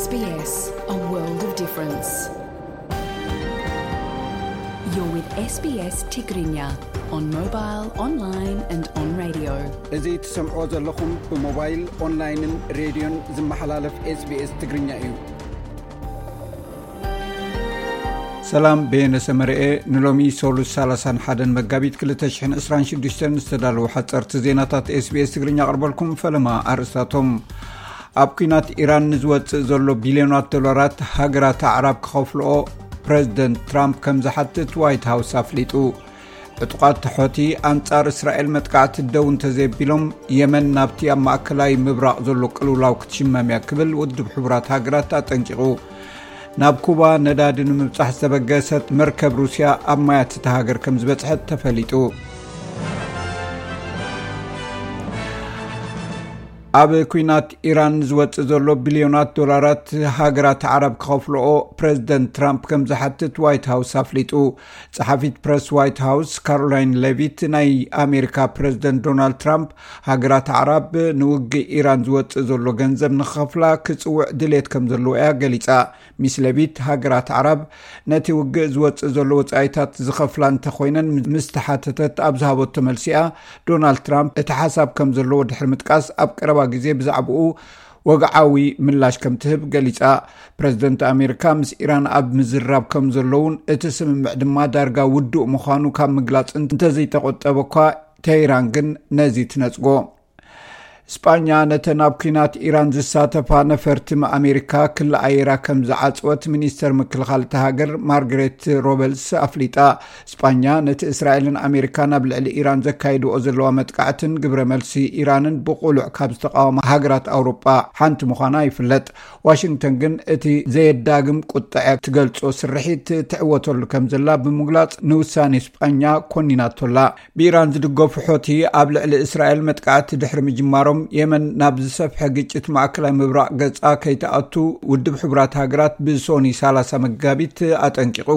S B S, a world of difference. You're with S B S Tigrinya on mobile, online and on radio. እዚ ትሰምዖ ዘለኹም ብሞባይል፣ ኦንላይንን ሬድዮን ዝመሓላለፍ SBS ትግርኛ እዩ። ሰላም፣ በየነ ሰመረኤ። ንሎሚ ሶሉስ ሰላሳን ሓደን መጋቢት ክልተ ሽሕን ዕስራን ሽዱሽተን ዝተዳለዉ ሓጸርቲ ዜናታት SBS ትግርኛ ኣቕርበልኩም። ፈለማ ኣርእስታቶም። ኣብ ኲናት ኢራን ንዝወጽእ ዘሎ ቢልዮናት ዶላራት ሃገራት ኣዕራብ ክኸፍልኦ ፕረዚደንት ትራምፕ ከም ዝሓትት ዋይት ሃውስ ኣፍሊጡ። ዕጡቓት ሖቲ ኣንጻር እስራኤል መጥቃዕቲ ደው እንተዘየቢሎም፣ የመን ናብቲ ኣብ ማእከላይ ምብራቕ ዘሎ ቅልውላው ክትሽመም እያ ክብል ውድብ ሕቡራት ሃገራት ኣጠንቂቑ። ናብ ኩባ ነዳዲ ንምብጻሕ ዝተበገሰት መርከብ ሩስያ ኣብ ማያት እታ ሃገር ከም ዝበጽሐት ተፈሊጡ። ኣብ ኲናት ኢራን ዝወጽእ ዘሎ ቢልዮናት ዶላራት ሃገራት ዓረብ ክኸፍልኦ ፕረዚደንት ትራምፕ ከም ዝሓትት ዋይት ሃውስ ኣፍሊጡ። ጸሓፊት ፕረስ ዋይት ሃውስ ካሮላይን ሌቪት፣ ናይ ኣሜሪካ ፕረዚደንት ዶናልድ ትራምፕ ሃገራት ዓረብ ንውግእ ኢራን ዝወጽእ ዘሎ ገንዘብ ንኽኸፍላ ክጽውዕ ድሌት ከም ዘለዎ እያ ገሊጻ። ሚስ ሌቪት፣ ሃገራት ዓረብ ነቲ ውግእ ዝወጽእ ዘሎ ወጻኢታት ዝኸፍላ እንተኾይነን ምስ ተሓተተት ኣብ ዝሃበቶ መልሲኣ፣ ዶናልድ ትራምፕ እቲ ሓሳብ ከም ዘለዎ ድሕሪ ምጥቃስ፣ ኣብ ቀረባ ግዜ ብዛዕባኡ ወግዓዊ ምላሽ ከም ትህብ ገሊጻ። ፕረዚደንት ኣሜሪካ ምስ ኢራን ኣብ ምዝራብ ከም ዘለውን እቲ ስምምዕ ድማ ዳርጋ ውዱእ ምዃኑ ካብ ምግላጽ እንተዘይተቆጠበ እኳ፣ ቴህራን ግን ነዚ ትነጽጎ። ስጳኛ ነተን ኣብ ኲናት ኢራን ዝሳተፋ ነፈርቲ ኣሜሪካ ክሊ ኣየራ ከም ዝዓጽወት ሚኒስተር ምክልኻል እታ ሃገር ማርግሬት ሮበልስ ኣፍሊጣ። ስጳኛ ነቲ እስራኤልን ኣሜሪካን ኣብ ልዕሊ ኢራን ዘካይድኦ ዘለዋ መጥቃዕትን ግብረ መልሲ ኢራንን ብቑሉዕ ካብ ዝተቃወማ ሃገራት ኣውሮጳ ሓንቲ ምዃና ይፍለጥ። ዋሽንግተን ግን እቲ ዘየዳግም ቁጥዐ ትገልጾ ስርሒት ትዕወተሉ ከም ዘላ ብምግላጽ ንውሳኔ ስጳኛ ኮኒናቶላ። ብኢራን ዝድገፉ ሖቲ ኣብ ልዕሊ እስራኤል መጥቃዕቲ ድሕሪ ምጅማሮም፣ የመን ናብ ዝሰፍሐ ግጭት ማእከላይ ምብራቕ ገጻ ከይትኣቱ ውድብ ሕቡራት ሃገራት ብሶኒ ሰላሳ መጋቢት ኣጠንቂቑ።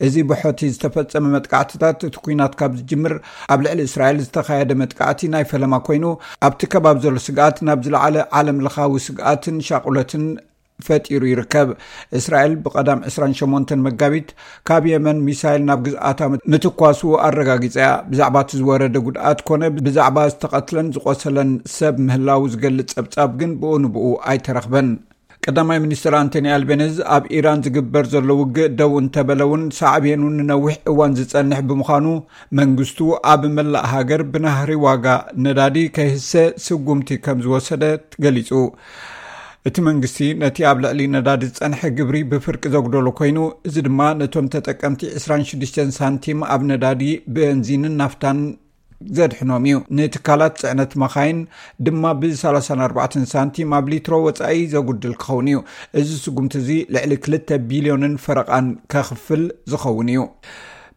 እዚ ብሖቲ ዝተፈጸመ መጥቃዕትታት እቲ ኲናት ካብ ዝጅምር ኣብ ልዕሊ እስራኤል ዝተኻየደ መጥቃዕቲ ናይ ፈለማ ኮይኑ፣ ኣብቲ ከባቢ ዘሎ ስግኣት ናብ ዝለዓለ ዓለም ለኻዊ ስግኣትን ሻቑለትን ፈጢሩ ይርከብ። እስራኤል ብቐዳም ዕስራን ሸሞንተን መጋቢት ካብ የመን ሚሳይል ናብ ግዝኣታ ምትኳሱ ኣረጋጊጻ እያ። ብዛዕባ እቲ ዝወረደ ጉድኣት ኮነ ብዛዕባ ዝተቐትለን ዝቖሰለን ሰብ ምህላው ዝገልጽ ጸብጻብ ግን ብኡ ንብኡ ኣይተረኽበን። ቀዳማይ ሚኒስትር ኣንቶኒ ኣልቤኒዝ፣ ኣብ ኢራን ዝግበር ዘሎ ውግእ ደው እንተበለ እውን፣ ሳዕቤኑ ንነዊሕ እዋን ዝጸንሕ ብምዃኑ፣ መንግስቱ ኣብ መላእ ሃገር ብናህሪ ዋጋ ነዳዲ ከይህሰ ስጉምቲ ከም ዝወሰደ ገሊጹ። እቲ መንግስቲ ነቲ ኣብ ልዕሊ ነዳዲ ዝጸንሐ ግብሪ ብፍርቂ ዘጉደሎ ኮይኑ፣ እዚ ድማ ነቶም ተጠቀምቲ ዕስራን ሽዱሽተን ሳንቲም ኣብ ነዳዲ፣ ቤንዚንን ናፍታን ዘድሕኖም እዩ። ንትካላት ጽዕነት መኻይን ድማ ብ ሰላሳን ኣርባዕተን ሳንቲም ኣብ ሊትሮ ወጻኢ ዘጉድል ክኸውን እዩ። እዚ ስጉምቲ እዚ ልዕሊ ክልተ ቢልዮንን ፈረቓን ከኽፍል ዝኸውን እዩ።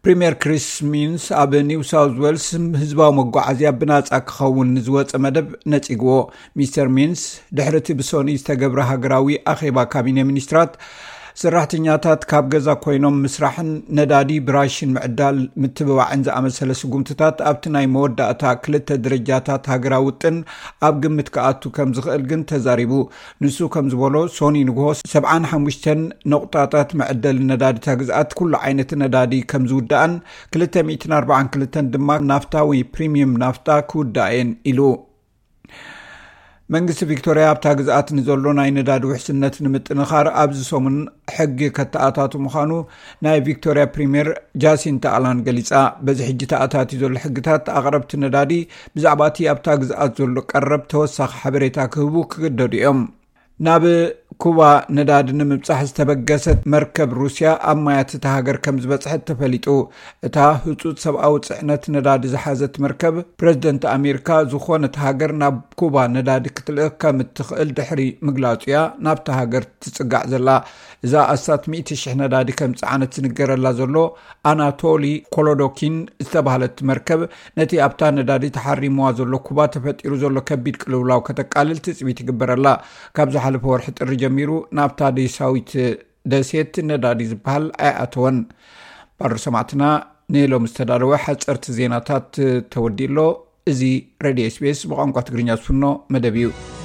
ፕሪምየር ክሪስ ሚንስ ኣብ ኒው ሳውዝ ዌልስ ህዝባዊ መጓዓዝያ ብናጻ ክኸውን ንዝወጸ መደብ ነጺግዎ። ሚስተር ሚንስ፣ ድሕሪ እቲ ብሶኒ ዝተገብረ ሃገራዊ ኣኼባ ካቢነ ሚኒስትራት፣ ሰራሕተኛታት ካብ ገዛ ኮይኖም ምስራሕን ነዳዲ ብራሽን ምዕዳል ምትብባዕን ዝኣመሰለ ስጉምትታት ኣብቲ ናይ መወዳእታ ክልተ ደረጃታት ሃገራዊ ውጥን ኣብ ግምት ክኣቱ ከም ዝኽእል ግን ተዛሪቡ። ንሱ ከም ዝበሎ፣ ሶኒ ንግሆ ሰብዓን ሓሙሽተን ነቑጣታት መዕደሊ ነዳዲ እታ ግዝኣት ኩሉ ዓይነት ነዳዲ ከም ዝውዳእን ክልተ ሚእትን ኣርባዓን ክልተን ድማ ናፍታ ወይ ፕሪምየም ናፍታ ክውዳእ እየን ኢሉ። መንግስቲ ቪክቶርያ ኣብታ ግዝኣት ንዘሎ ናይ ነዳዲ ውሕስነት ንምጥንኻር ኣብዚ ሰሙን ሕጊ ከተኣታቱ ምዃኑ ናይ ቪክቶርያ ፕሪምየር ጃሲንታ ኣላን ገሊጻ። በዚ ሕጂ ተኣታትዩ ዘሎ ሕግታት ኣቕረብቲ ነዳዲ ብዛዕባ እቲ ኣብታ ግዝኣት ዘሎ ቀረብ ተወሳኺ ሓበሬታ ክህቡ ክግደዱ እዮም። ናብ ኩባ ነዳዲ ንምብጻሕ ዝተበገሰት መርከብ ሩስያ ኣብ ማያት እታ ሃገር ከም ዝበጽሐት ተፈሊጡ። እታ ህጹጽ ሰብኣዊ ጽዕነት ነዳዲ ዝሓዘት መርከብ፣ ፕረዚደንት ኣሜሪካ ዝኾነት ሃገር ናብ ኩባ ነዳዲ ክትልእኽ ከም እትኽእል ድሕሪ ምግላጹ እያ ናብታ ሃገር ትጽጋዕ ዘላ። እዛ ኣስታት ሚእቲ ሽሕ ነዳዲ ከም ዝጸዓነት ዝንገረላ ዘሎ ኣናቶሊ ኮሎዶኪን ዝተባህለት መርከብ፣ ነቲ ኣብታ ነዳዲ ተሓሪምዋ ዘሎ ኩባ ተፈጢሩ ዘሎ ከቢድ ቅልውላው ከተቃልል ትጽቢት ይግበረላ። ካብ ዝሓለፈ ወርሒ ጥሪ ጀሚሩ ናብታ ዴሳዊት ደሴት ነዳዲ ዝበሃል ኣይኣተወን። ባር ሰማዕትና፣ ንሎም ዝተዳለወ ሓጸርቲ ዜናታት ተወዲእሎ። እዚ ሬድዮ SBS ብቋንቋ ትግርኛ ዝፍኖ መደብ እዩ።